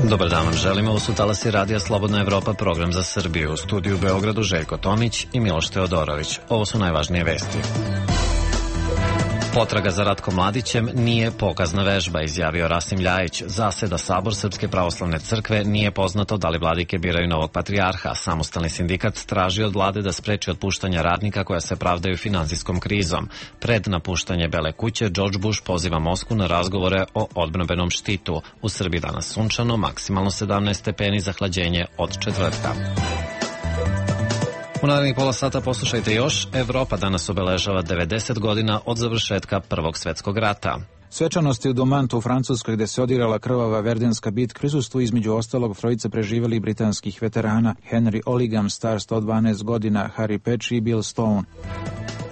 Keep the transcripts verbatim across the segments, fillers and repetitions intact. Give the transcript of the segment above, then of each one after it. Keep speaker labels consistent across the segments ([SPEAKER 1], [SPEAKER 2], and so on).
[SPEAKER 1] Dobar dan vam želimo, ovo su talasi Radija Slobodna Evropa, program za Srbiju. U studiju u Beogradu Željko Tomić i Miloš Teodorović. Ovo su najvažnije vesti. Potraga za Ratkom Mladićem nije pokazna vežba, izjavio Rasim Ljajić. Zaseda Sabor Srpske pravoslavne crkve, nije poznato da li vladike biraju novog patrijarha. Samostalni sindikat traži od vlade da spreči otpuštanja radnika koja se pravdaju finansijskom krizom. Pred napuštanje Bele kuće, George Bush poziva Moskvu na razgovore o odbrambenom štitu. U Srbiji danas sunčano, maksimalno sedamnaest stepeni, zahlađenje od četvrtka. U narednih pola sata poslušajte još. Evropa danas obeležava devedeset godina od završetka Prvog svetskog rata.
[SPEAKER 2] Svečanosti u Domantu u Francuskoj, gde se odigrala krvava Verdinska bitka, prisustvuju između ostalog trojice preživelih britanskih veterana: Henry Olligam, star sto dvanaest godina, Harry Peč i Bill Stone.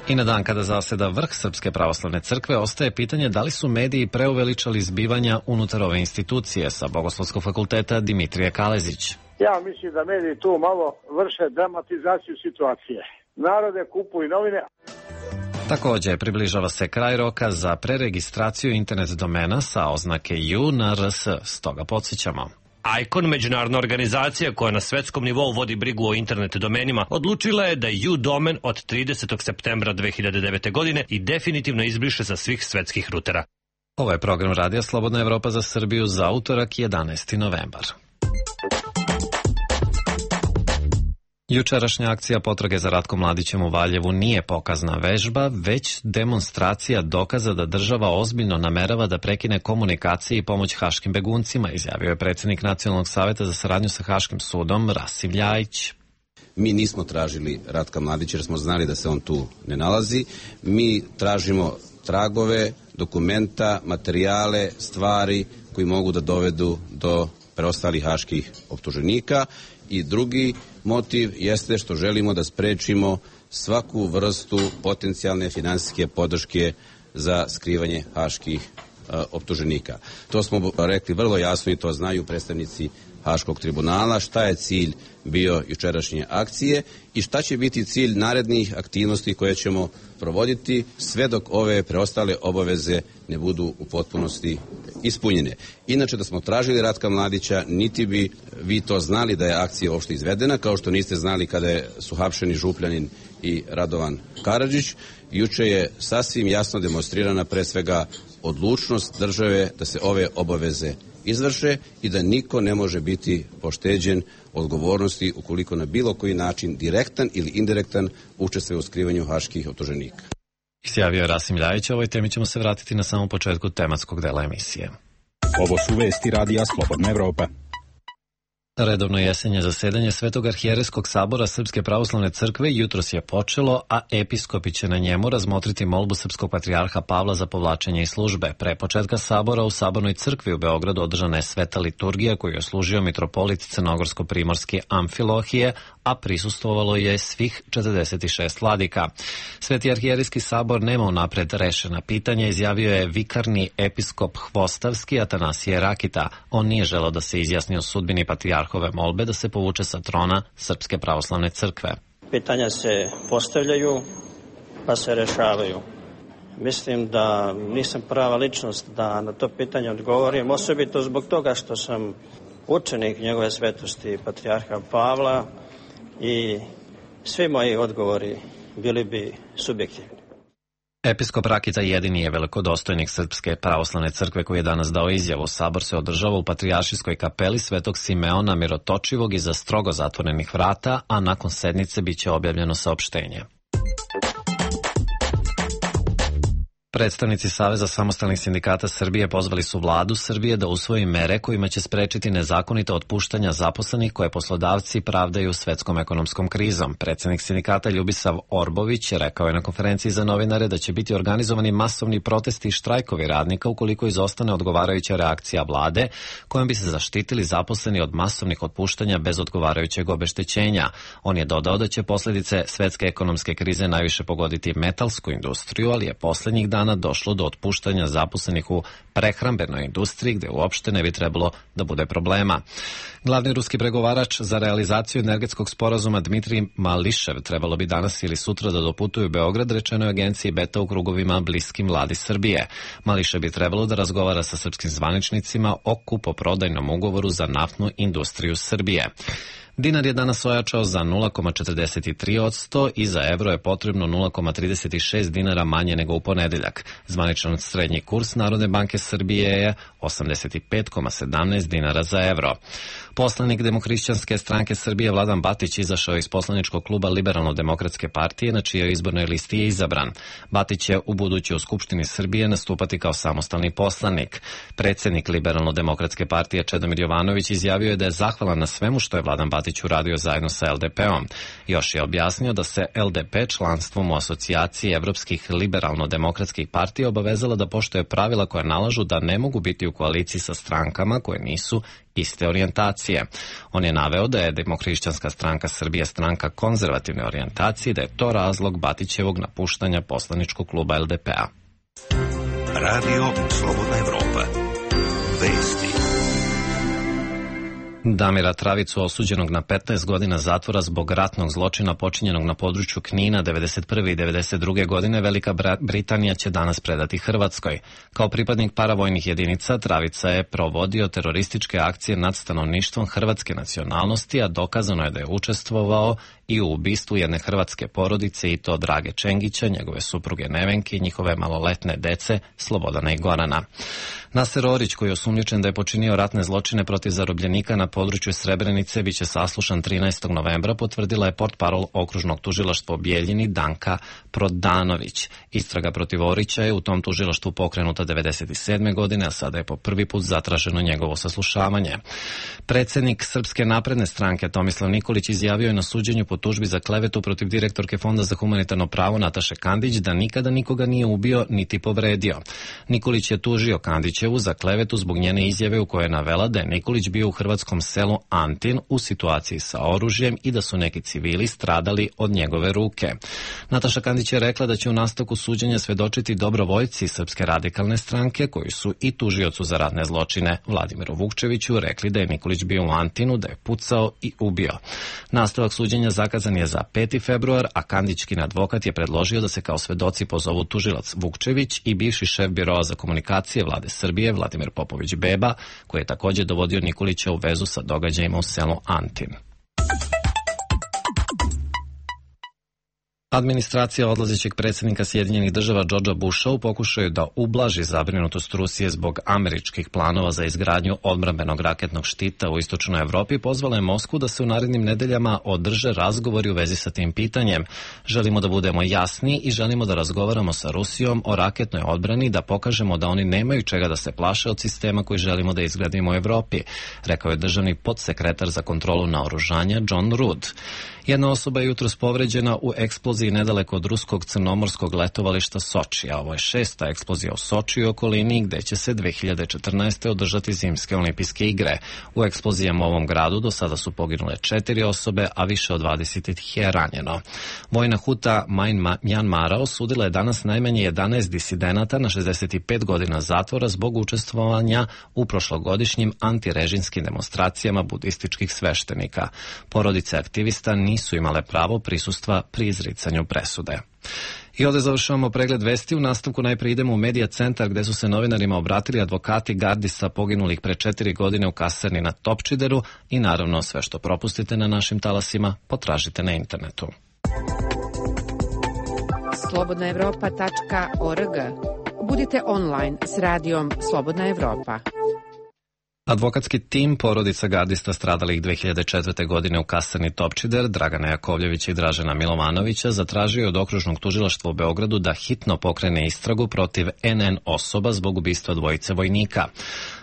[SPEAKER 1] I na dan kada zaseda vrh Srpske pravoslavne crkve, ostaje pitanje da li su mediji preuveličali zbivanja unutar ove institucije. Sa Bogoslovskog fakulteta Dimitrije Kalezić.
[SPEAKER 3] Ja mislim da mediji tu malo vrše dramatizaciju situacije. Narode kupuju novine.
[SPEAKER 1] Također, približava se kraj roka za preregistraciju internet domena sa oznake U na R S, stoga podsjećamo.
[SPEAKER 4] ICON, međunarodna organizacija koja na svetskom nivou vodi brigu o internet domenima, odlučila je da U domen od tridesetog septembra dve hiljade devete. godine i definitivno izbriše sa svih svetskih rutera.
[SPEAKER 1] Ovo je program Radija Slobodna Evropa za Srbiju za utorak jedanaesti novembar. Jučerašnja akcija potrage za Ratkom Mladićem u Valjevu nije pokazna vežba, već demonstracija dokaza da država ozbiljno namerava da prekine komunikacije i pomoć haškim beguncima, izjavio je predsjednik Nacionalnog saveta za saradnju sa Haškim sudom Rasim Ljajić.
[SPEAKER 5] Mi nismo tražili Ratka Mladića jer smo znali da se on tu ne nalazi. Mi tražimo tragove, dokumenta, materijale, stvari koji mogu da dovedu do preostalih haških optuženika. I drugi motiv jeste što želimo da sprečimo svaku vrstu potencijalne finansijske podrške za skrivanje haških e, optuženika. To smo rekli vrlo jasno i to znaju predstavnici Haškog tribunala, šta je cilj bio jučerašnje akcije i šta će biti cilj narednih aktivnosti koje ćemo provoditi sve dok ove preostale obaveze ne budu u potpunosti ispunjene. Inače, da smo tražili Ratka Mladića, niti bi vi to znali da je akcija uopšte izvedena, kao što niste znali kada su hapšeni Župljanin i Radovan Karadžić. Juče je sasvim jasno demonstrirana pre svega odlučnost države da se ove obaveze izvrše i da niko ne može biti pošteđen odgovornosti ukoliko na bilo koji način direktan ili indirektan učestvuje u skrivanju haških optuženika.
[SPEAKER 1] Izjavio je Rasim Ljajić. O ovoj temi ćemo se vratiti na samom početku tematskog dela emisije.
[SPEAKER 6] Ovo su vesti Radija Slobodna Evropa.
[SPEAKER 1] Redovno jesenje zasedanje Svetog arhijerejskog sabora Srpske pravoslavne crkve jutros je počelo, a episkopi će na njemu razmotriti molbu srpskog patrijarha Pavla za povlačenje iz službe. Pre početka sabora u Sabornoj crkvi u Beogradu održana je sveta liturgija koju je služio mitropolit Crnogorsko-primorski Amfilohije, a prisustvovalo je svih četrdeset šest vladika. Sveti arhijerejski sabor nema unapred rešena pitanja, izjavio je vikarni episkop Hvostavski Atanasije Rakita. On nije želeo da se izjasni o sudbini patrijarhove molbe da se povuče sa trona Srpske pravoslavne crkve.
[SPEAKER 7] Pitanja se postavljaju, pa se rešavaju. Mislim da nisam prava ličnost da na to pitanje odgovorim, osobito zbog toga što sam učenik njegove svetosti patrijarha Pavla i svi moji odgovori bili bi subjektivni.
[SPEAKER 1] Episkop Rakita jedini je velikodostojnik Srpske pravoslavne crkve koji je danas dao izjavu. Sabor se održava u Patrijaršijskoj kapeli Svetog Simeona Mirotočivog iza strogo zatvorenih vrata, a nakon sednice biće objavljeno saopštenje. Predstavnici Saveza samostalnih sindikata Srbije pozvali su vladu Srbije da usvoji mere kojima će sprečiti nezakonita otpuštanja zaposlenih koje poslodavci pravdaju svetskom ekonomskom krizom. Predsjednik sindikata Ljubisav Orbović rekao je na konferenciji za novinare da će biti organizovani masovni protesti i štrajkovi radnika ukoliko izostane odgovarajuća reakcija vlade kojom bi se zaštitili zaposleni od masovnih otpuštanja bez odgovarajućeg obeštećenja. On je dodao da će posljedice svetske ekonomske krize najviše pogoditi metalsku industriju, ali je posljednjih dana dana došlo do otpuštanja zaposlenih u prehrambenoj industriji, gde uopšte ne bi trebalo da bude problema. Glavni ruski pregovarač za realizaciju energetskog sporazuma Dmitrij Mališev trebalo bi danas ili sutra da doputuju u Beograd, rečeno je agenciji Beta u krugovima bliskim vladi Srbije. Mališev bi trebalo da razgovara sa srpskim zvaničnicima o kupoprodajnom ugovoru za naftnu industriju Srbije. Dinar je danas ojačao za nula zarez četrdeset tri posto i za evro je potrebno nula zarez trideset šest dinara manje nego u ponedeljak. Zvaničan srednji kurs Narodne banke Srbije je osamdeset pet zarez sedamnaest dinara za evro. Poslanik Demohrišćanske stranke Srbije Vladan Batić izašao iz poslaničkog kluba Liberalno-demokratske partije, na čijoj izbornoj listi je izabran. Batić će u buduće u Skupštini Srbije nastupati kao samostalni poslanik. Predsednik Liberalno-demokratske partije Čedomir Jovanović izjavio je da je zahvalan na svemu što je Vladan Batić uradio zajedno sa el de pe-om. Još je objasnio da se el de pe članstvom u asocijaciji evropskih liberalno-demokratskih partija obavezala da poštuje pravila koja nalažu da ne mogu biti u koaliciji sa strankama koje nisu iste orijentacije. On je naveo da je Demohrišćanska stranka Srbije stranka konzervativne orijentacije i da je to razlog Batićevog napuštanja poslaničkog kluba el de pe-a.
[SPEAKER 8] Radio Slobodna Evropa. Vesti.
[SPEAKER 1] Damira Travicu, osuđenog na petnaest godina zatvora zbog ratnog zločina počinjenog na području Knina devedeset prve i devedeset druge. godine, Velika Britanija će danas predati Hrvatskoj. Kao pripadnik paravojnih jedinica, Travica je provodio terorističke akcije nad stanovništvom hrvatske nacionalnosti, a dokazano je da je učestvovao i u ubistvu jedne hrvatske porodice, i to Drage Čengića, njegove supruge Nevenke i njihove maloletne dece Slobodana i Gorana. Naser Orić, koji je osumnjičen da je počinio ratne zločine protiv zarobljenika na području Srebrenice, biće saslušan trinaestog novembra, potvrdila je portparol okružnog tužilaštva u Bijeljini Danka Prodanović. Istraga protiv Orića je u tom tužilaštvu pokrenuta devedeset sedme. godine, a sada je po prvi put zatraženo njegovo saslušavanje. Predsednik Srpske napredne stranke Tomislav Nikolić izjavio je na suđenju po tužbi za klevetu protiv direktorke Fonda za humanitarno pravo Nataše Kandić da nikada nikoga nije ubio niti povredio. Nikolić je tužio Kandićevu za klevetu zbog njene izjave u kojoj je navela da je Nikolić bio u hrvatskom selu Antin u situaciji sa oružjem i da su neki civili stradali od njegove ruke. Nataša Kandić je rekla da će u nastavku suđenja svedočiti dobrovoljci Srpske radikalne stranke, koji su i tužiocu za ratne zločine Vladimiru Vukčeviću rekli da je Nikolić bio u Antinu, da je pucao i ubio. Nastavak suđenja zakazan je za peti februar, a Kandićkin advokat je predložio da se kao svedoci pozovu tužilac Vukčević i bivši šef biroa za komunikacije vlade Srbije Vladimir Popović Beba, koji je također dovodio Nikolića u vezu sa događajima u selu Antin. Administracija odlazećeg predsjednika Sjedinjenih država Georgea Busha u pokušaju da ublaži zabrinutost Rusije zbog američkih planova za izgradnju odbrambenog raketnog štita u istočnoj Evropi pozvala je Moskvu da se u narednim nedeljama održe razgovori u vezi sa tim pitanjem. Želimo da budemo jasni i želimo da razgovaramo sa Rusijom o raketnoj odbrani, da pokažemo da oni nemaju čega da se plaše od sistema koji želimo da izgradimo u Evropi, rekao je državni podsekretar za kontrolu naoružanja John Rood. Jedna osoba je jutros povređena u eksploziji nedaleko od ruskog crnomorskog letovališta Soči, a ovo je šesta eksplozija u Soči i okolini, gde će se dve hiljade četrnaeste. održati zimske olimpijske igre. U eksplozijama u ovom gradu do sada su poginule četiri osobe, a više od dvadeset ih je ranjeno. Vojna huta Mjanmara osudila je danas najmanje jedanaest disidenata na šezdeset pet godina zatvora zbog učestvovanja u prošlogodišnjim antirežimskim demonstracijama budističkih sveštenika. Porodice aktivista nisu imale pravo prisustva pri izricanju presude. I ovdje završavamo pregled vesti. U nastavku najprije idemo u Medija centar, gde su se novinarima obratili advokati gardista poginulih pre četiri godine u kasarni na Topčideru, i naravno sve što propustite na našim talasima potražite na internetu.
[SPEAKER 9] slobodna evropa tačka org. Budite online s radijom Slobodna Evropa.
[SPEAKER 1] Advokatski tim porodica gardista stradalih dve hiljade četvrte. godine u kasarni Topčider, Dragana Jakovljevića i Dražena Milovanovića, zatražio je od okružnog tužilaštva u Beogradu da hitno pokrene istragu protiv en en osoba zbog ubistva dvojice vojnika.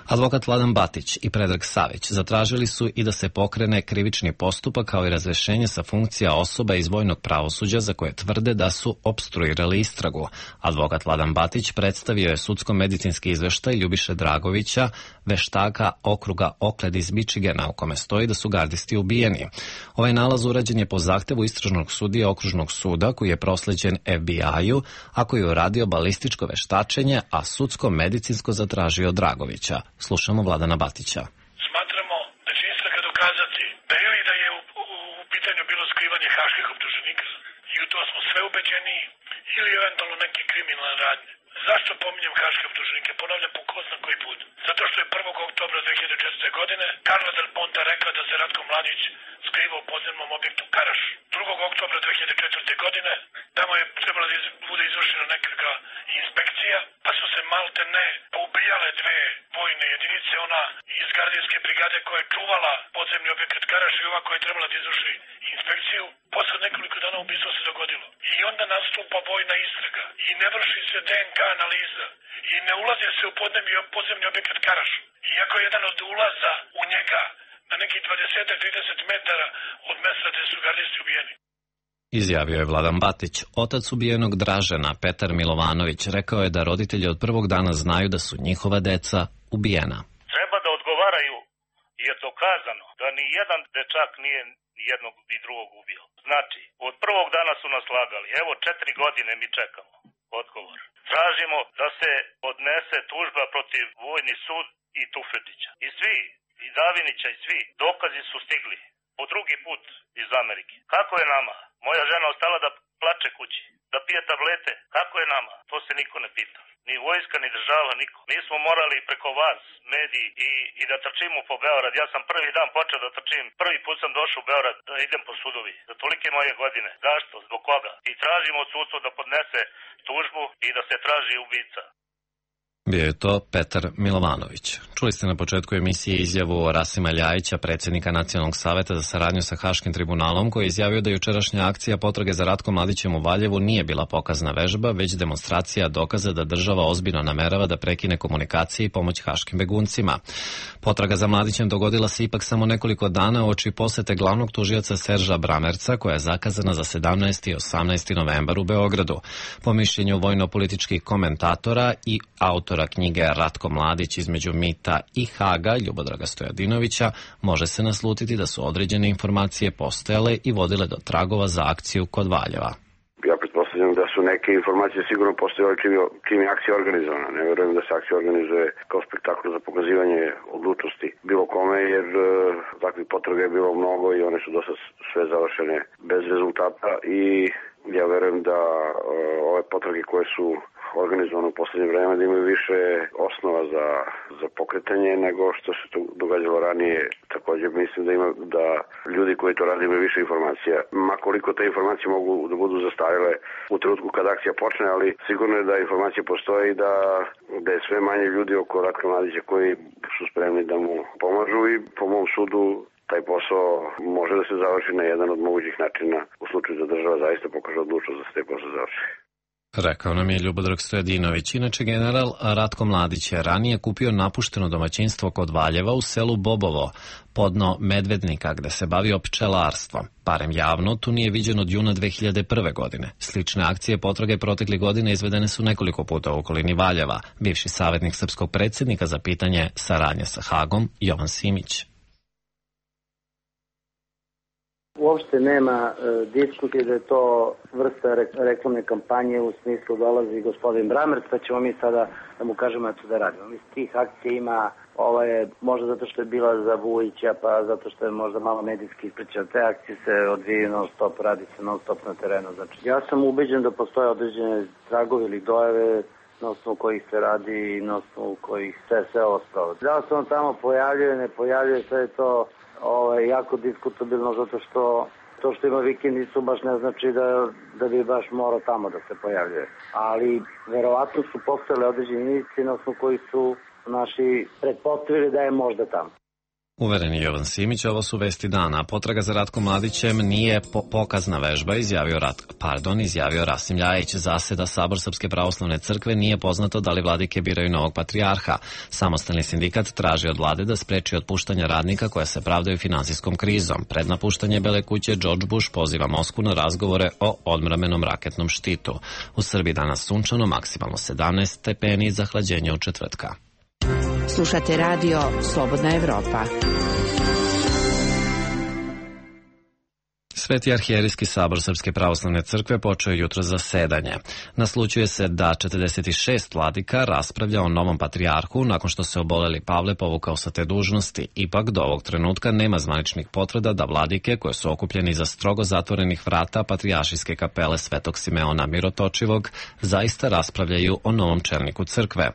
[SPEAKER 1] Advokat Vladan Batić i Predrag Savić zatražili su i da se pokrene krivični postupak kao i razrešenje sa funkcija osoba iz vojnog pravosuđa za koje tvrde da su opstruirali istragu. Advokat Vladan Batić predstavio je sudsko-medicinski izveštaj Ljubiše Dragovića, veštaka okruga Okled iz Michigana, u kome stoji da su gardisti ubijeni. Ovaj nalaz urađen je po zahtevu istražnog sudije okružnog suda koji je prosleđen F B I-u, a koji je uradio balističko veštačenje, a sudsko-medicinsko zatražio Dragovića. Slušamo Vladana Batića.
[SPEAKER 10] Smatramo da će istraga dokazati da ili da je u, u, u pitanju bilo skrivanje haških optuženika i u to smo sve ubeđeni, ili eventualno neke kriminalne radnje. Zašto pominjem haške optuženike? Ponavljam po ko zna koji put. Zato što je prvog oktobra dve hiljade četvrte. godine Carla Del Ponte rekla da se Ratko Mladić skriva u podzemnom objektu Karaš. drugog oktobra dve hiljade četvrte. godine tamo je trebala da iz, bude izvršena nekakva inspekcija, pa su se malte ne poubijale dve vojne jedinice, ona iz gardijske brigade koja je čuvala podzemni objekat Karaš i ova koja je trebala da izvrši inspekciju. Posle nekoliko dana ubistvo se dogodilo. I onda nastupa vojna istraga i ne vrši se D N K analiza i ne ulazi se u podzemni objekat Karaš. Iako je jedan od ulaza u njega na nekih dvadeset do trideset metara od mesta gde su gardisti ubijeni.
[SPEAKER 1] Izjavio je Vladan Batić. Otac ubijenog Dražena, Petar Milovanović, rekao je da roditelji od prvog dana znaju da su njihova deca ubijena.
[SPEAKER 11] Treba da odgovaraju, je dokazano da ni jedan dečak nije jednog ni drugog ubio. Znači, od prvog dana su nas lagali. Evo, četiri godine mi čekamo odgovor. Tražimo da se odnese tužba protiv Vojni sud i Tufetića. I svi, i Davinića i svi, dokazi su stigli. Po drugi put iz Amerike. Kako je nama? Moja žena ostala da plače kući, da pije tablete. Kako je nama? To se niko ne pita. Ni vojska, ni država, niko. Mi smo morali preko vas, mediji, i, i da trčimo po Beograd. Ja sam prvi dan počeo da trčim. Prvi put sam došao u Beograd da idem po sudovi. Za tolike moje godine. Zašto? Zbog koga? I tražimo od sudstva da podnese tužbu i da se traži ubica.
[SPEAKER 1] Bio je to Petar Milovanović. Čuli ste na početku emisije izjavu Rasima Ljajića, predsjednika Nacionalnog saveta za saradnju sa Haškim tribunalom, koji je izjavio da jučerašnja akcija potrage za Ratkom Mladićem u Valjevu nije bila pokazna vežba, već demonstracija dokaza da država ozbiljno namerava da prekine komunikacije i pomoć haškim beguncima. Potraga za Mladićem dogodila se ipak samo nekoliko dana uoči posete glavnog tužioca Serža Bramerca, koja je zakazana za sedamnaesti i osamnaesti novembar u Beogradu. Po mišljenju vojno-političkih komentatora i autora knjige Ratko Mladić između mita i Haga, Ljubodraga Stojadinovića, može se naslutiti da su određene informacije postojale i vodile do tragova za akciju kod Valjeva.
[SPEAKER 12] Ja pretpostavljam da su neke informacije sigurno postojale čim je, čim je akcija organizovana. Ne verujem da se akcija organizuje kao spektakl za pokazivanje odlučnosti bilo kome, jer e, takvih potraga je bilo mnogo i one su dosta sve završene bez rezultata i ja verujem da e, ove potrage koje su organizovano u poslednje vreme da imaju više osnova za, za pokretanje nego što se to događalo ranije. Također mislim da ima da ljudi koji to rade imaju više informacija. Makoliko te informacije mogu da budu zastarele u trenutku kada akcija počne, ali sigurno je da informacije postoje i da, da je sve manje ljudi oko Ratka Mladića koji su spremni da mu pomažu i po mom sudu taj posao može da se završi na jedan od mogućih načina u slučaju da država zaista pokaže odlučnost da se taj posao završi.
[SPEAKER 1] Rekao nam je Ljubodrag Stojadinović. Inače, general Ratko Mladić je ranije kupio napušteno domaćinstvo kod Valjeva u selu Bobovo, podno Medvednika, gde se bavio pčelarstvom. Barem javno, tu nije viđen od juna dve hiljade prve. godine. Slične akcije potrage protekle godine izvedene su nekoliko puta u okolini Valjeva. Bivši savjetnik srpskog predsjednika za pitanje saradnje sa Hagom, Jovan Simić.
[SPEAKER 13] Uopšte nema e, diskusije da je to vrsta re, reklamne kampanje u smislu dolazi gospodin Bramerc, pa ćemo mi sada da mu kažemo eto da radimo. Mislim, tih akcija ima, ovo je možda zato što je bila za Vujića, pa zato što je možda malo medijski ispričano. Te akcije se odvijaju non stop, radi se non stop na terenu. Znači, ja sam ubeđen da postoje određene tragovi ili dojave na osnovu kojih se radi i na osnovu kojih se sve ostalo. Da se on tamo pojavljuje, ne pojavljuje, sve je to Ovo je jako diskutabilno zato što to što ima vikendicu baš ne znači da, da bi baš morao tamo da se pojavljuje. Ali verovatno su postojale određene indicije na osnovu koji su naši pretpostavili da je možda tamo.
[SPEAKER 1] Uvereni Jovan Simić, ovo su vesti dana. Potraga za Ratkom Mladićem nije po pokazna vežba, izjavio, Rat, pardon, izjavio Rasim Ljajić. Zaseda Sabor Srpske pravoslavne crkve, nije poznato da li vladike biraju novog patrijarha. Samostalni sindikat traži od vlade da spreči otpuštanja radnika koja se pravdaju finansijskom krizom. Pred napuštanje Bele kuće George Bush poziva Moskvu na razgovore o odmramenom raketnom štitu. U Srbiji danas sunčano, maksimalno sedamnaest stepeni, zahlađenje od četvrtka.
[SPEAKER 9] Slušate radio Slobodna Evropa.
[SPEAKER 1] Sveti arhijerijski sabor Srpske pravoslavne crkve počeo je jutro zasedanje. Naslućuje se da četrdeset šest vladika raspravlja o novom patrijarhu nakon što se oboleli Pavle povukao sa te dužnosti. Ipak do ovog trenutka nema zvaničnih potvrda da vladike koje su okupljeni za strogo zatvorenih vrata patrijaršijske kapele Svetog Simeona Mirotočivog zaista raspravljaju o novom čelniku crkve.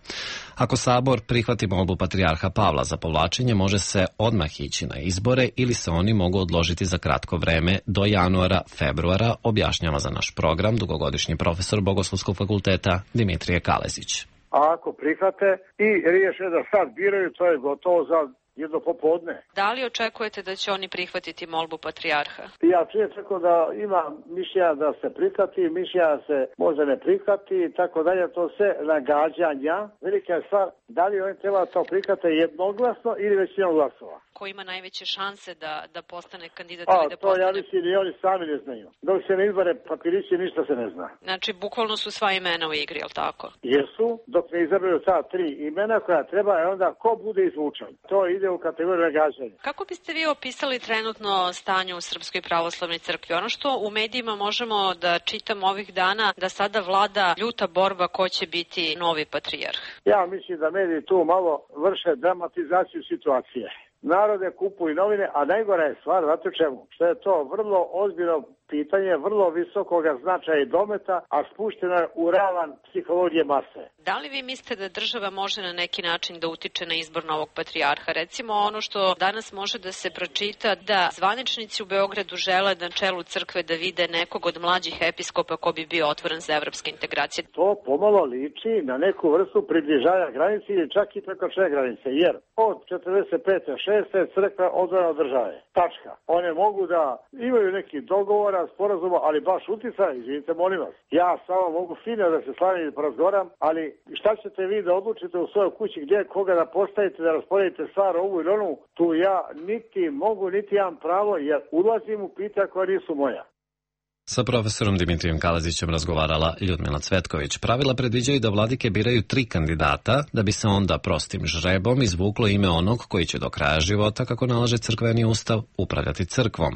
[SPEAKER 1] Ako sabor prihvati molbu patrijarha Pavla za povlačenje, može se odmah ići na izbore ili se oni mogu odložiti za kratko vreme do januara, februara, objašnjava za naš program dugogodišnji profesor Bogoslovskog fakulteta Dimitrije Kalezić.
[SPEAKER 3] A ako prihvate i riješe da sad biraju, to je gotovo za jedno popodne.
[SPEAKER 14] Da li očekujete da će oni prihvatiti molbu patrijarha?
[SPEAKER 3] Ja čujem tako da ima mišljenja da se prihvati, mišljenja da se možda ne prihvati i tako dalje, to sve nagađanja. Velika je stvar, da li oni treba to prihvate jednoglasno ili većinom glasova.
[SPEAKER 14] Ko ima najveće šanse da, da postane kandidat
[SPEAKER 3] A,
[SPEAKER 14] ili da
[SPEAKER 3] to
[SPEAKER 14] postane...
[SPEAKER 3] ja mislim i oni sami ne znaju. Dok se ne izbore papirići, ništa se ne zna.
[SPEAKER 14] Znači, bukvalno su sva imena u igri, jel tako?
[SPEAKER 3] Jesu, dok ne izaberu ta tri imena koja treba, je onda ko bude izvučan. To ide u kategoriju nagađanja.
[SPEAKER 14] Kako biste vi opisali trenutno stanje u Srpskoj pravoslavnoj crkvi? Ono što u medijima možemo da čitamo ovih dana, da sada vlada ljuta borba ko će biti novi patrijarh.
[SPEAKER 3] Ja mislim da mediji tu malo vrše dramatizaciju situacije. Narode kupuju novine, a najgora je stvar, znate čemu? Što je to vrlo ozbiljno pitanje, vrlo visokoga značaja i dometa, a spušteno je u ravan psihologije mase.
[SPEAKER 14] Da li vi mislite da država može na neki način da utiče na izbor novog patrijarha? Recimo ono što danas može da se pročita, da zvaničnici u Beogradu žele na čelu crkve da vide nekog od mlađih episkopa ko bi bio otvoren za evropske integracije.
[SPEAKER 3] To pomalo liči na neku vrstu približavanja granice ili čak i prekočenja granice, jer od četrdeset pete šeste crkva odvojena od države. Tačka. One mogu da imaju neki dogovor, sporazuma, ali baš uticaj, izvinite, molim vas. Ja samo mogu fino da se slavim i porazgoram, ali šta ćete vi da odlučite u svojoj kući gdje koga da postavite, da rasporedite stvar ovu ili onu, tu ja niti mogu, niti imam pravo, jer ulazim u pitanja koja nisu moja.
[SPEAKER 1] Sa profesorom Dimitrijem Kalezićem razgovarala Ljudmila Cvetković. Pravila predviđaju da vladike biraju tri kandidata, da bi se onda prostim žrebom izvuklo ime onog koji će do kraja života, kako nalaže crkveni ustav, upravljati crkvom.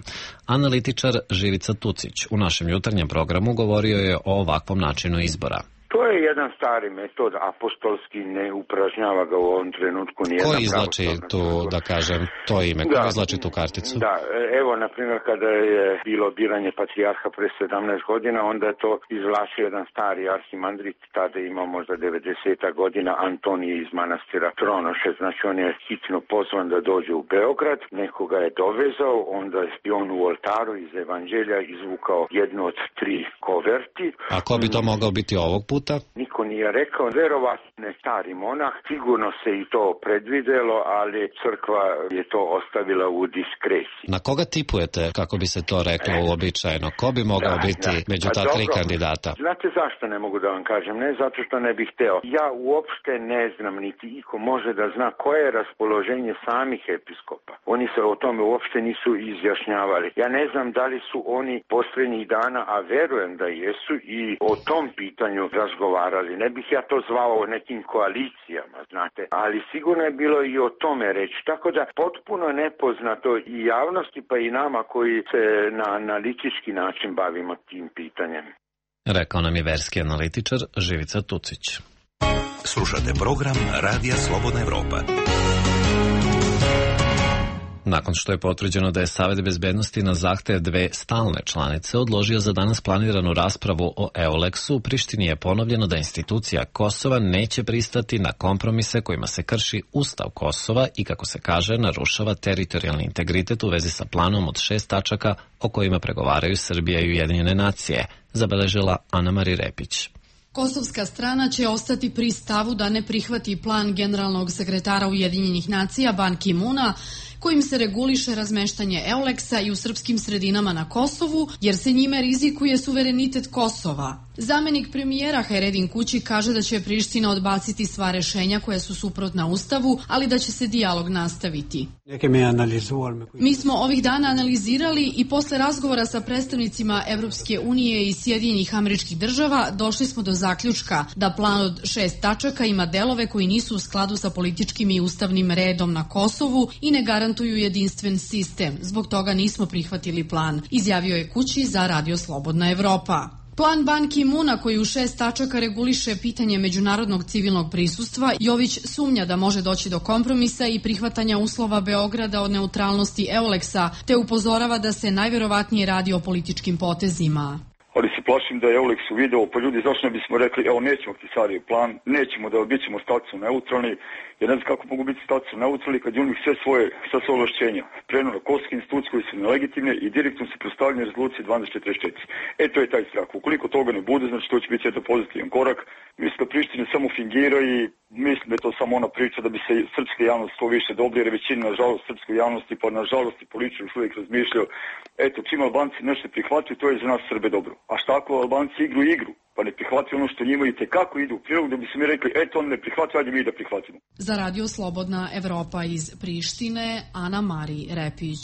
[SPEAKER 1] Analitičar Živica Tucić u našem jutarnjem programu govorio je o ovakvom načinu izbora.
[SPEAKER 15] To je jedan stari metod, apostolski, ne upražnjava ga u ovom trenutku nijedna
[SPEAKER 1] pravoslavna. Ko izlači tu, da kažem, to ime? Ko da, izlači tu karticu?
[SPEAKER 15] Da, evo, na primjer, kada je bilo biranje patrijarha pre sedamnaest godina, onda je to izvlačio jedan stari arhimandrit, tada ima možda devedeset godina, Antonije iz manastira Tronoše, znači on je hitno pozvan da dođe u Beograd, nekoga je dovezao, onda je on u oltaru iz evanđelja izvukao jednu od tri koverti.
[SPEAKER 1] A ko bi to mogao biti ovog puta?
[SPEAKER 15] Niko nije rekao, verovatno je stari monah, sigurno se i to predvidelo, ali crkva je to ostavila u diskreciji.
[SPEAKER 1] Na koga tipujete, kako bi se to reklo uobičajeno? Ko bi mogao da, biti da. među ta tri kandidata?
[SPEAKER 15] Znate zašto ne mogu da vam kažem? Ne zato što ne bih hteo. Ja uopšte ne znam, niti iko može da zna koje je raspoloženje samih episkopa. Oni se o tome uopšte nisu izjašnjavali. Ja ne znam da li su oni posljednjih dana, a verujem da jesu, i o tom pitanju razgovarali. Ne bih ja to zvao nekim koalicijama, znate, ali sigurno je bilo i o tome reći. Tako da potpuno nepoznato i javnosti pa i nama koji se na analitički način bavimo tim pitanjem.
[SPEAKER 1] Rekao nam je verski analitičar Živica Tucić.
[SPEAKER 8] Slušate program Radija Slobodna Evropa.
[SPEAKER 1] Nakon što je potvrđeno da je Savet bezbednosti na zahtev dve stalne članice odložio za danas planiranu raspravu o Euleksu, u Prištini je ponovljeno da institucija Kosova neće pristati na kompromise kojima se krši Ustav Kosova i, kako se kaže, narušava teritorijalni integritet u vezi sa planom od šest tačaka o kojima pregovaraju Srbija i Ujedinjene nacije, zabeležila Ana Mari Repić.
[SPEAKER 16] Kosovska strana će ostati pri stavu da ne prihvati plan generalnog sekretara Ujedinjenih nacija Ban Ki-muna, kojim se reguliše razmeštanje Euleksa i u srpskim sredinama na Kosovu, jer se njime rizikuje suverenitet Kosova. Zamenik premijera Hajredin Kući kaže da će Priština odbaciti sva rešenja koja su suprotna Ustavu, ali da će se dijalog nastaviti. Mi smo ovih dana analizirali i posle razgovora sa predstavnicima Evropske unije i Sjedinjenih Američkih Država došli smo do zaključka da plan od šest tačaka ima delove koji nisu u skladu sa političkim i ustavnim redom na Kosovu i ne garantuju jedinstven sistem. Zbog toga nismo prihvatili plan, izjavio je Kući za Radio Slobodna Evropa. Plan Ban Ki-muna koji u šest tačaka reguliše pitanje međunarodnog civilnog prisustva, Jović sumnja da može doći do kompromisa i prihvatanja uslova Beograda od neutralnosti Euleksa, te upozorava da se najverovatnije radi o političkim potezima.
[SPEAKER 17] Ali se plašim da je Euleks u video, pa ljudi zašto ne bismo rekli, evo nećemo Tisarijev plan, nećemo da bit ćemo statusno neutralni, jer ne znam kako mogu biti statusno neutralni kad je u njih sve svoje, sve svoje ovlašćenja. Preno na kosovske institucije koje su nelegitimne i direktno se predstavljaju rezolucije dvanaest četrdeset četiri. E, to je taj strah. Ukoliko toga ne bude, znači to će biti jedan pozitivan korak. Mislim da Priština samo fingira i mislim da je to samo ona priča da bi se srpska javnost što više dobri, jer većina, nažalost, srpskoj javnosti, pa nažalost i političari još uvijek razmišljaju, eto, čim Albanci nešto prihvataju, to je za nas Srbe dobro. A šta ako Albanci igru igru, pa ne prihvataju ono što njima i tekako idu u prilog, da bi se mi rekli, eto, on ne prihvataju, ajde mi da prihvatimo.
[SPEAKER 16] Za Radio Slobodna Evropa iz Prištine, Ana Mari Repić.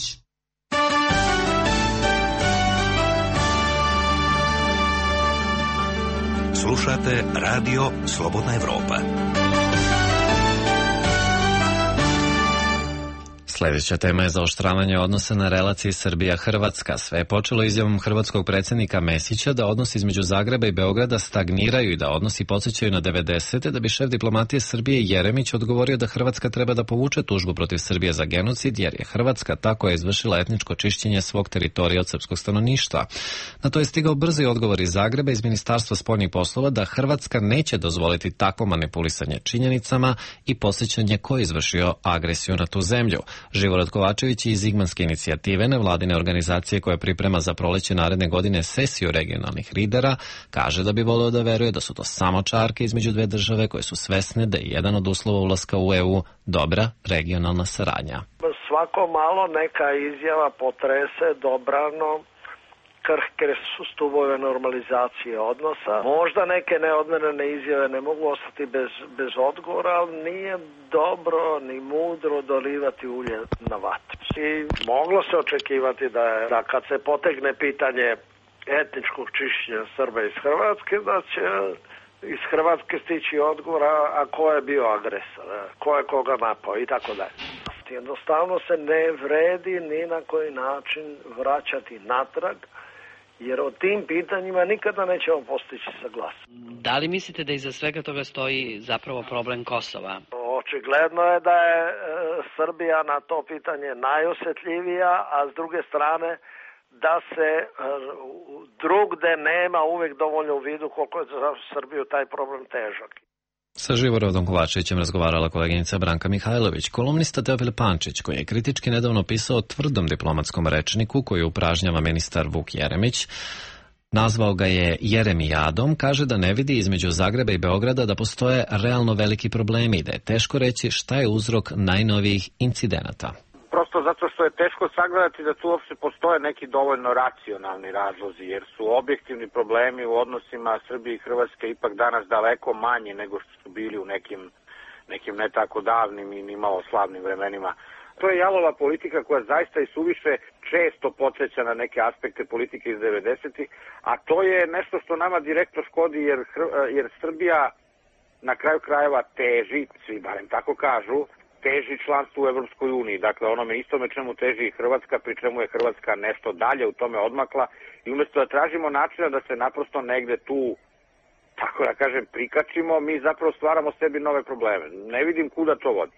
[SPEAKER 8] Slušate Radio Slobodna Evropa.
[SPEAKER 1] Sljedeća tema je zaoštravanje odnosa na relaciji Srbija-Hrvatska. Sve je počelo izjavom hrvatskog predsjednika Mesića da odnosi između Zagreba i Beograda stagniraju i da odnosi podsjećaju na devedesete, da bi šef diplomatije Srbije Jeremić odgovorio da Hrvatska treba da povuče tužbu protiv Srbije za genocid, jer je Hrvatska tako je izvršila etničko čišćenje svog teritorija od srpskog stanovništva. Na to je stigao brzi odgovor iz Zagreba iz Ministarstva spoljnih poslova da Hrvatska neće dozvoliti takvo manipulisanje činjenicama i podsjećanje ko je izvršio agresiju na tu zemlju. Živorad Kovačević iz Zigmanske inicijative, nevladine organizacije koja priprema za proleće naredne godine sesiju regionalnih lidera, kaže da bi voleo da veruje da su to samo čarke između dve države koje su svesne da je jedan od uslova ulaska u E U dobra regionalna saradnja.
[SPEAKER 18] Svako malo neka izjava potrese dobrano krhke su stubove normalizacije odnosa. Možda neke neodmerene izjave ne mogu ostati bez, bez odgovora, ali nije dobro ni mudro dolivati ulje na vatru. I moglo se očekivati da, je, da kad se potegne pitanje etničkog čišćenja Srba iz Hrvatske, da će iz Hrvatske stići odgovor, a ko je bio agresor, ko je koga napao i tako dalje. Jednostavno se ne vredi ni na koji način vraćati natrag, jer o tim pitanjima nikada nećemo postići saglasnost.
[SPEAKER 19] Da li mislite da iza svega toga stoji zapravo problem Kosova?
[SPEAKER 18] Očigledno je da je e, Srbija na to pitanje najosjetljivija, a s druge strane da se e, drugde nema uvijek dovoljno u vidu koliko je za Srbiju taj problem težak.
[SPEAKER 1] Sa Živorodom Kovačevićem razgovarala koleginica Branka Mihajlović. Kolumnista Teofil Pančić, koji je kritički nedavno pisao o tvrdom diplomatskom rečniku koji upražnjava ministar Vuk Jeremić, nazvao ga je Jeremijadom, kaže da ne vidi između Zagreba i Beograda da postoje realno veliki problemi i da je teško reći šta je uzrok najnovijih incidenata.
[SPEAKER 20] Prosto zato što je teško sagledati da tu uopšte postoje neki dovoljno racionalni razlozi, jer su objektivni problemi u odnosima Srbije i Hrvatske ipak danas daleko manji nego što su bili u nekim, nekim ne tako davnim i nimalo slavnim vremenima. To je jalova politika koja zaista i suviše često podsjeća na neke aspekte politike iz devedesetih, a to je nešto što nama direktno škodi, jer, jer Srbija na kraju krajeva teži, svi barem tako kažu, teži članstvo u Evropskoj uniji, dakle onome istome čemu teži i Hrvatska, pri čemu je Hrvatska nešto dalje u tome odmakla i umjesto da tražimo načina da se naprosto negde tu, tako da kažem, prikačimo, mi zapravo stvaramo sebi nove probleme. Ne vidim kuda to vodi.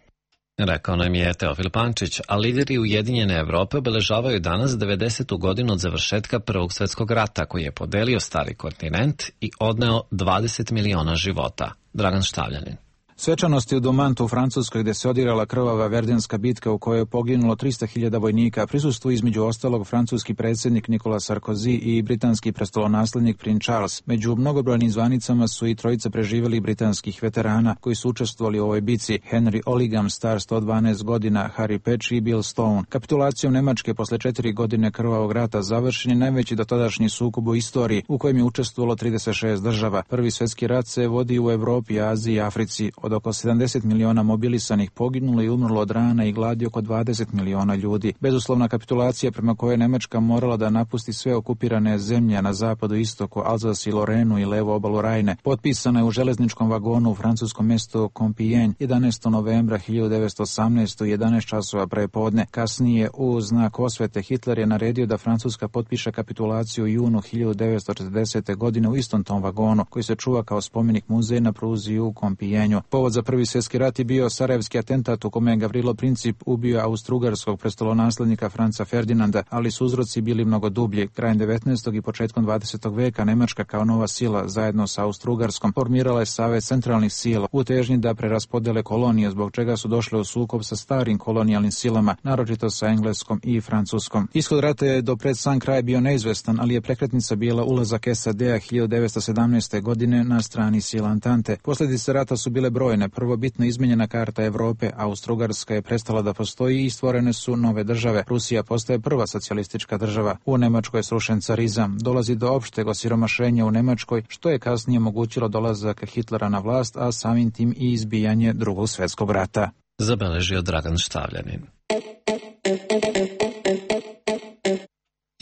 [SPEAKER 1] Rekao nam je Teofil Pančić, a lideri Ujedinjene Evrope obeležavaju danas devedesetu godinu od završetka Prvog svjetskog rata koji je podelio stari kontinent i odneo dvadeset miliona života. Dragan Štavljanin.
[SPEAKER 2] Svečanosti u Domantu u Francuskoj, gde se odigrala krvava Verdenska bitka u kojoj je poginulo trista hiljada vojnika, prisustvuju između ostalog francuski predsjednik Nicolas Sarkozy i britanski prestolonaslednik princ Charles. Među mnogobrojnim zvanicama su i trojica preživjelih britanskih veterana koji su učestvovali u ovoj bici: Henry Oligam, star sto dvanaest godina, Harry Petch i Bill Stone. Kapitulacijom Nemačke posle četiri godine krvavog rata završen je najveći dotadašnji sukob u istoriji, u kojem je učestvovalo trideset šest država. Prvi svjetski rat se vodi u Evropi, Aziji i Africi. Od oko sedamdeset miliona mobilisanih poginulo i umrlo od rana i gladi oko dvadeset miliona ljudi. Bezuslovna kapitulacija prema kojoj je Nemačka morala da napusti sve okupirane zemlje na zapadu i istoku, Alzas i Lorenu i levu obalu Rajne, potpisana je u železničkom vagonu u francuskom mjestu Compiègne jedanaestog novembra hiljadu devetsto osamnaeste. u jedanaest časova prepodne. Kasnije, u znak osvete, Hitler je naredio da Francuska potpiše kapitulaciju u junu hiljadu devetsto četrdesete. godine u istom tom vagonu, koji se čuva kao spomenik muzeja na pruzi u Compiègneu. Povod za Prvi svjetski rat je bio sarajevski atentat u kome je Gavrilo Princip ubio austrougarskog prestolonaslednika Franca Ferdinanda, ali su uzroci bili mnogo dublji. Krajem devetnaestog i početkom dvadesetog veka Nemačka kao nova sila zajedno sa Austrougarskom formirala je Savet centralnih sila u težnji da preraspodele kolonije, zbog čega su došle u sukob sa starim kolonijalnim silama, naročito sa Engleskom i Francuskom. Ishod rata je do pred sam kraj bio neizvestan, ali je prekretnica bila ulazak S A D-a hiljadu devetsto sedamnaeste. godine na strani sila Antante. Posljedice rata su bile brojne. Prvo, bitno izmenjena karta Evrope, Austrougarska je prestala da postoji i stvorene su nove države. Rusija postaje prva socijalistička država. U Nemačkoj je srušen carizam. Dolazi do opšteg osiromašenja u Nemačkoj, što je kasnije omogućilo dolazak Hitlera na vlast, a samim tim i izbijanje Drugog svjetskog rata.
[SPEAKER 1] Zabeležio Dragan Štavljanin.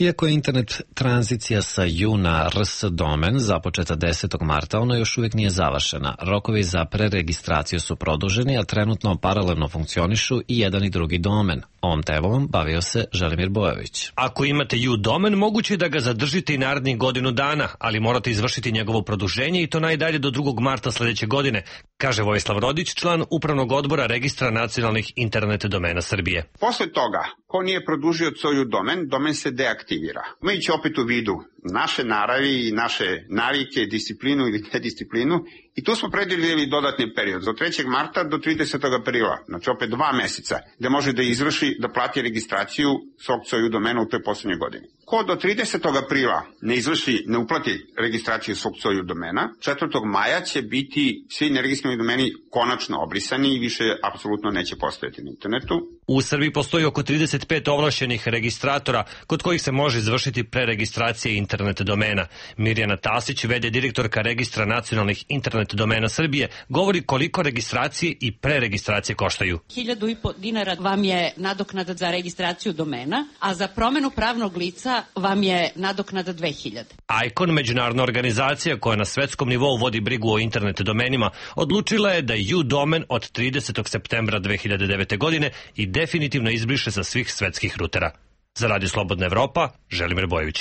[SPEAKER 1] Iako je internet tranzicija sa ju na R S domen započeta desetog marta, ona još uvijek nije završena. Rokovi za preregistraciju su produženi, a trenutno paralelno funkcionišu i jedan i drugi domen. Ovom temom bavio se Želimir Bojović.
[SPEAKER 4] Ako imate ju domen, moguće je da ga zadržite i narednih godinu dana, ali morate izvršiti njegovo produženje i to najdalje do drugog marta sledeće godine, kaže Vojislav Rodić, član Upravnog odbora Registra nacionalnih internet domena Srbije.
[SPEAKER 21] Posle toga, ko nije produžio svoju domen, domen se deaktivira. Imajući opet u vidu naše naravi i naše navike, disciplinu ili nedisciplinu, i tu smo predvidjeli dodatni period od trećeg marta do tridesetog aprila, znači opet dva meseca, gde može da izvrši, da plati registraciju svog svoju domena u toj poslednjoj godini. Ko do tridesetog aprila ne izvrši, ne uplati registraciju svog svoju domena, četvrtog maja će biti svi neregistrovani domeni konačno obrisani i više apsolutno neće postojati na internetu.
[SPEAKER 4] U Srbiji postoji oko trideset pet ovlašćenih registratora kod kojih se može izvršiti preregistracija internet domena. Mirjana Tasić, v d direktorka Registra nacionalnih internet domena Srbije, govori koliko registracije i preregistracije koštaju.
[SPEAKER 22] Hiljadu i po dinara vam je nadoknada za registraciju domena, a za promenu pravnog lica vam je nadoknada dve hiljade.
[SPEAKER 4] Icon, međunarodna organizacija koja na svetskom nivou vodi brigu o internet domenima, odlučila je da ju domen od tridesetog septembra dve hiljade devete. godine i definitivno izbriše sa svih svetskih rutera. Za Radio Slobodna Evropa, Želimir Bojović.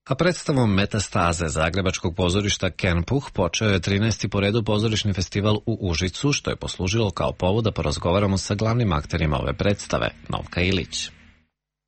[SPEAKER 1] A predstavom Metastaze Zagrebačkog pozorišta Kenpuh počeo je trinaesti po redu pozorišni festival u Užicu, što je poslužilo kao povod da porazgovaramo sa glavnim akterima ove predstave, Novka Ilić.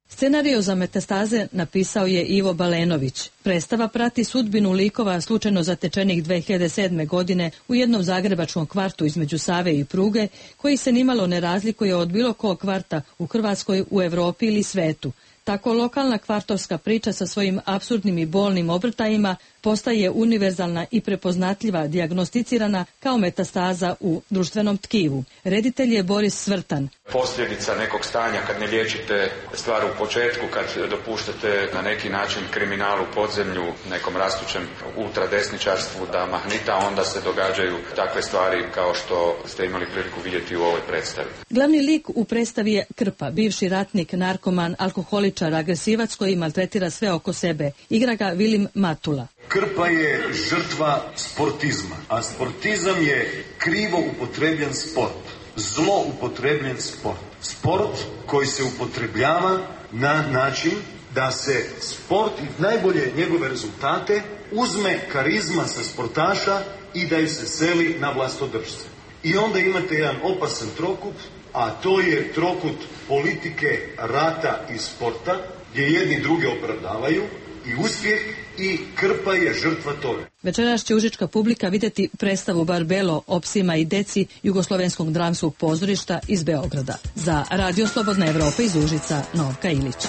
[SPEAKER 23] Scenariju za Metastaze napisao je Ivo Balenović. Predstava prati sudbinu likova slučajno zatečenih dve hiljade sedme. godine u jednom zagrebačkom kvartu između Save i Pruge, koji se nimalo ne razlikuje od bilo kog kvarta u Hrvatskoj, u Evropi ili svetu. Tako lokalna kvartovska priča sa svojim apsurdnim i bolnim obrtajima postaje univerzalna i prepoznatljiva, dijagnosticirana kao metastaza u društvenom tkivu. Reditelj je Boris Svrtan.
[SPEAKER 24] Posljedica nekog stanja kad ne liječite stvar u početku, kad dopuštate na neki način kriminalu, podzemlju, nekom rastućem ultradesničarstvu da mahnita, onda se događaju takve stvari kao što ste imali priliku vidjeti u ovoj predstavi.
[SPEAKER 23] Glavni lik u predstavi je Krpa, bivši ratnik, narkoman, alkoholičar, agresivac koji maltretira sve oko sebe. Igra ga Vilim Matula.
[SPEAKER 25] Krpa je žrtva sportizma, a sportizam je krivo upotrebljen sport, zlo upotrebljen sport. Sport koji se upotrebljava na način da se sport i najbolje njegove rezultate uzme karizma sa sportaša i da ih se seli na vlastodržce. I onda imate jedan opasan trokut, a to je trokut politike, rata i sporta, gdje jedni druge opravdavaju, i uspjeh i Krpa je žrtva toga.
[SPEAKER 23] Večeras će užička publika vidjeti predstavu Barbelo o psima i deci Jugoslovenskog dramskog pozorišta iz Beograda. Za Radio Slobodna Evropa iz Užica, Novka Ilić.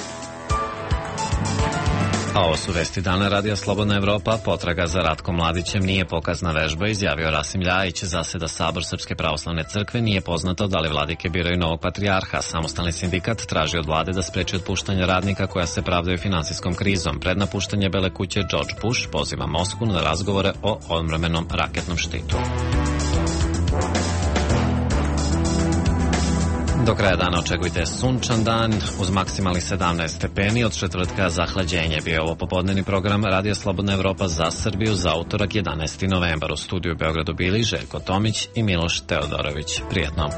[SPEAKER 1] A ovo su vesti dana Radija Slobodna Evropa. Potraga za Ratkom Mladićem nije pokazna vežba, izjavio Rasim Ljajić. Zaseda Sabor Srpske pravoslavne crkve, nije poznato da li vladike biraju novog patrijarha. Samostalni sindikat traži od vlade da spreči otpuštanje radnika koja se pravdaju finansijskom krizom. Pred napuštanje Bele kuće George Bush poziva Moskvu na razgovore o odmrmenom raketnom štitu. Do kraja dana očekujte sunčan dan uz maksimalnih sedamnaest stepeni, od četvrtka zahlađenje. Bio ovo popodnevni program Radija Slobodna Evropa za Srbiju za utorak jedanaesti novembar. U studiju u Beogradu bili Željko Tomić i Miloš Teodorović. Prijetno.